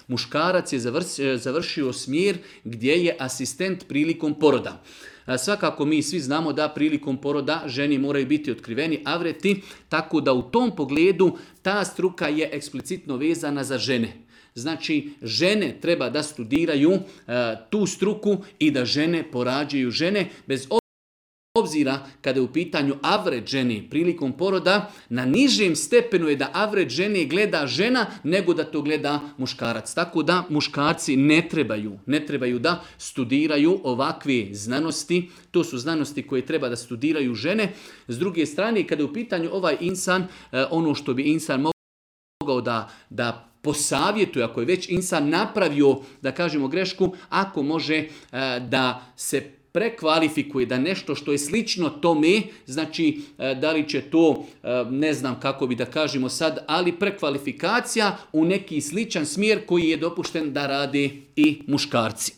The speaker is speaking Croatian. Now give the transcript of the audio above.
Muškarac je završio smjer gdje je asistent prilikom poroda. Svakako mi svi znamo da prilikom poroda ženi moraju biti otkriveni avreti, tako da u tom pogledu ta struka je eksplicitno vezana za žene. Znači, žene treba da studiraju tu struku i da žene porađaju žene, bez obzira kada je u pitanju avret žene prilikom poroda, na nižem stepenu je da avret žene gleda žena nego da to gleda muškarac. Tako da muškarci ne trebaju da studiraju ovakve znanosti. To su znanosti koje treba da studiraju žene. S druge strane, kada je u pitanju ovaj insan, ono što bi insan mogao da posavjetuje, ako je već insan napravio, da kažemo, grešku, ako može da se prekvalifikuje, da nešto što je slično tome, znači da li će to, ne znam kako bi da kažemo sad, ali prekvalifikacija u neki sličan smjer koji je dopušten da rade i muškarci.